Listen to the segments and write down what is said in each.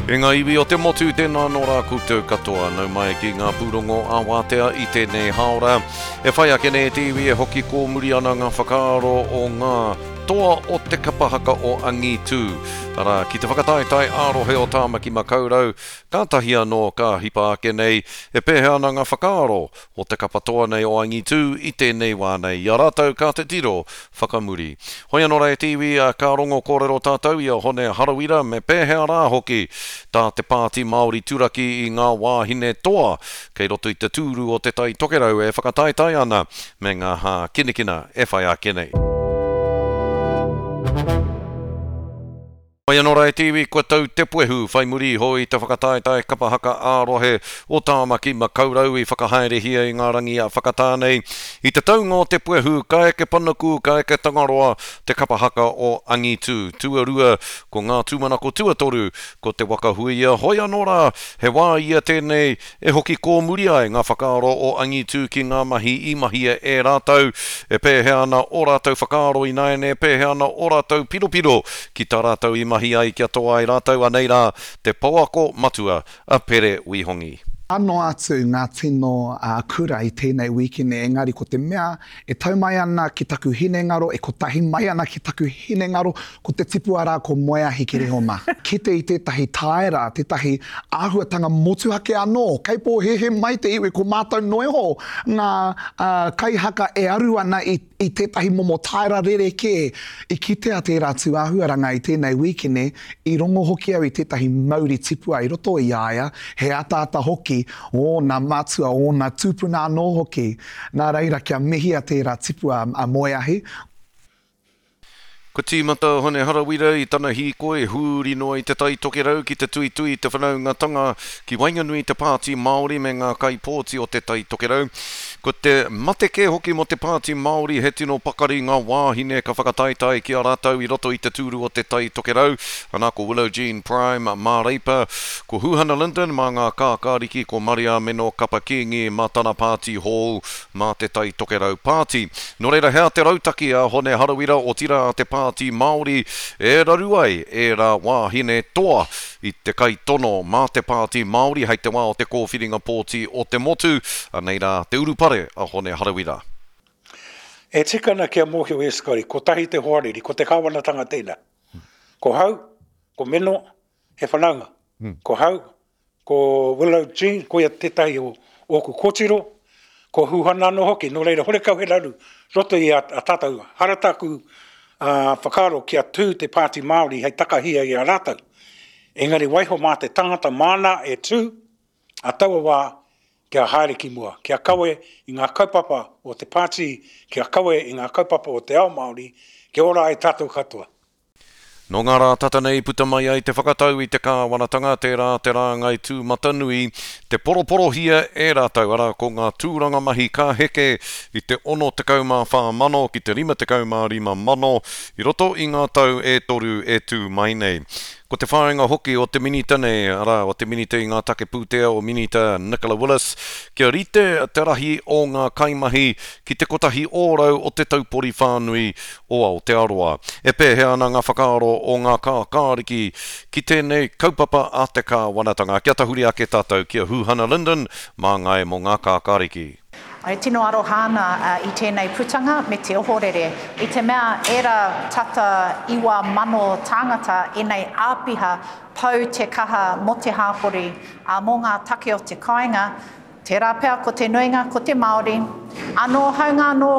E ngā iwi o te motu, tēnā anō rā koutou katoa. Nau mai ki ngā pūrongo ā-wātea i tēnei hāora. E whai ake nei te iwi e hoki kōmuri ana ngā whakaaro o ngā toa o te kapa haka o Angitū, arā, ki te whakataetae ā-rohe o Tāmaki Makaurau, kātahi anō ka hipa ake nei e pēhea ana ngā whakaaro o te kapa toa nei o Angitū i tēnei wā nei, i a rātou ka titiro whakamuri. Hoi anō rā e te iwi, ka rongo kōrero tātou i a Hone Harawira me pēhea rā hoki tā te Pāti Māori turaki i ngā wāhine toa kei roto i te tūru o Te Tai Tokerau e whakataetae ana me ngā hākinakina e whai ake nei. Mai anō rā e te iwi, kua tau te puehu whai muri iho i te whakataetae kapa haka ā-rohe o Tāmaki Makaurau i whakahaerehia i ngā rangi a whakatā nei. I te taunga o te puehu, ka eke panuku, ka eke Tangaroa te kapa haka o Angitū. Tuarua, ko ngā tūmanako tuatoru, ko Te Waka Huia. Hoi anō rā, he wā ia tēnei E hoki kōmuri ai ngā whakaaro o Angitū ki ngā mahi i mahia e rātou, e pēhea ana ō rātou whakaaro ināiane, e pēhea ana ō rātou piropiro ki tā rātou i mahi ai kia toa ai rātou, anei rā te pouako matua a Pere Wihongi. Ano atu ngā tino kura i tēnei wīkene engari ko te mea e tau mai ana ki taku hinengaro, e kotahi mai ana ki taku hinengaro, ko te tipua rā ko Moeahi Kerehoma. Kite i tētahi tāera, tētahi āhuatanga motuhake anō, kei pōhēhē mai te iwi ko mātou noa iho ngā kaihaka e aru ana i i tētahi momo tāera rerekē. I kitea tērā tūāhuaranga i tēnei wīkene, i rongo hoki au i tētahi mauri tipua i roto i a ia, he ataata hoki ōna matua, ōna tūpuna anō hoki. Nā reira, kia mihia tērā tipua a Moeahi. Kua tīmata a Hone Harawira i tana hīkoi huri noa i Te Tai Tokerau ki te tuitui i te whanaungatanga ki waenganui i te Pāti Māori me ngā kaipōti o Te Tai Tokerau. Ko te mate kē hoki mō te Pāti Māori he tino pakari ngā wāhine ka whakataetae ki a rātou i roto i te tūru o Te Tai Tokerau, ana ko Willow Jean Prime mā Reipa, ko Huhana Lyndon mā ngā Kākāriki, ko Mariameno Kapa Kīngi mā tana pāti hou mā Te Tai Tokerau Pāti. Nō reira, he aha te rautaki a Hone Harawira, otirā a te Pāti Māori, e raru ai ērā wāhine toa i te kaitono mā te Pāti Māori hei te wā o te kōwhiringa pōti o te motu? Anei rā te urupare a Hone Harawira. E tika ana kia mōhio e Scotty, kotahi te hoariri, ko te kāwanatanga tēnā. Ko hau, ko Meno, he whanaunga. Ko hau, Ko Willow Jean, koia tētahi o ōku kōtiro, ko Huhana anō hoki, nō reira horekau he raru roto i a tātou. Hara tāku whakaaro kia tū te Pāti Māori hei takahia i a rātou. Engari waiho mā te tangata māna e tū a taua wā kia haere ki mua, kia kawe i ngā kaupapa o te pāti, kia kawe i ngā kaupapa o te ao Māori, kia ora ai tātou katoa. Nō ngā rā tata nei puta mai ai te whakatau i te kāwanatanga, tērā te rāngai tūmatanui, te poroporohia e rātou, arā, ko ngā tūranga mahi ka heke i te 64,000 ki te 55,000 i roto i ngā tau e toru e tū mai nei. Ko te whāinga hoki o te Minita nei, arā, o te Minita i ngā take pūtea o Minita Nicola Willis, kia rite te rahi o ngā kaimahi ki te 1% o te taupori whānui o Aotearoa. E pēhea ana ngā whakaaro o ngā kākāriki ki tēnei kaupapa a te kāwanatanga? Kia tahuri ake tātou ki a Huhana Lyndon, māngai mō ngā kākāriki. E tino aroha ana i tēnei putanga me te ohorere, i te mea ērā tata 9,000 tāngata ēnei āpiha pau te kaha mō te hāpori, ā, mō ngā take o te kāinga, Tērā pea ko te nuinga ko te Māori. Anō, hāunga anō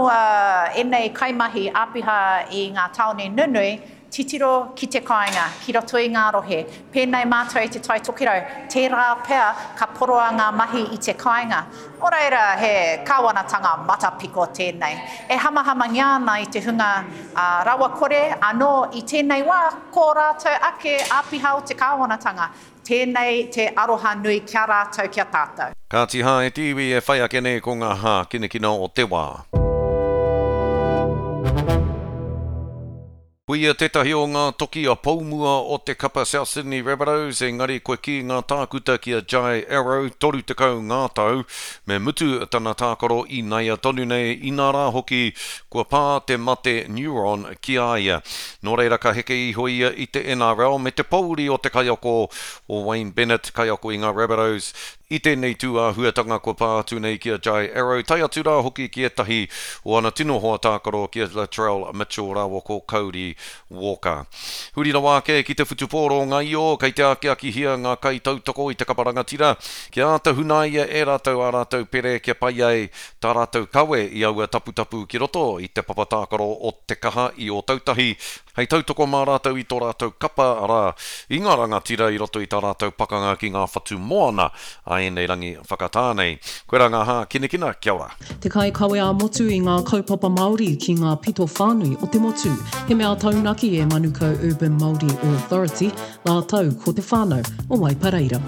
ēnei kaimahi āpiha i ngā tāone nunui, titiro ki te kāinga, ki roto i ngā rohe. Pēnei mātou i Te Tai Tokerau, tērā pea ka poroa ngā mahi i te kāinga. Nō reira, he kāwanatanga matapiko tēnei. E hamahamangia ana i te hunga rawakore, anō i tēnei wā, ko rātou ake āpiha o te kāwanatanga. Tēnei te aroha nui ki a rātou, ki a tātou. Kāti hā e te iwi e whai ake nei ko ngā hākinakina o te wā. Ko ia tētahi o ngā toki a poumua o te kapa South Sydney Rabbitohs, engari kua kī ngā tākuta ki a Jai Arrow, 30 ngā tau, me mutu tana tākaro īnaia tonu nei, inā rā hoki kua pā te mate neuron ki a ia. Nō reira ka heke iho ia i te NRL me te pōuri o te kaiako o Wayne Bennett, kaiako i ngā Rabbitohs, I tēnei tū āhuatanga kua pā atu nei ki a Jai Arrow, tae atu rā hoki ki ētahi o ana tino hoa tākaro ki a Latrell Mitchell rāua ko Cody Walker. Huri rawa ake ki te whutupōro ngaio, kei te akiakihia ngā kaitautoko i te kapa rangatira kia āta hunaia e rātou ā rātou pere kia pai ai tā rātou kawe i aua taputapu ki roto i te papa tākaro o Te Kaha i Ōtautahi Hei tautoko mā rātou i tō rātou kapa, arā, i ngā rangatira i roto i tā rātou pakanga ki ngā whatu moana a ēnei rangi whakatā nei. Koirā ngā hākinakina, kia ora. Te kaikawe ā-motu i ngā kaupapa Māori ki ngā pito whānui o te motu. He mea taunaki e Manukau Urban Māori Authority rātou ko te whānau o Waipareira.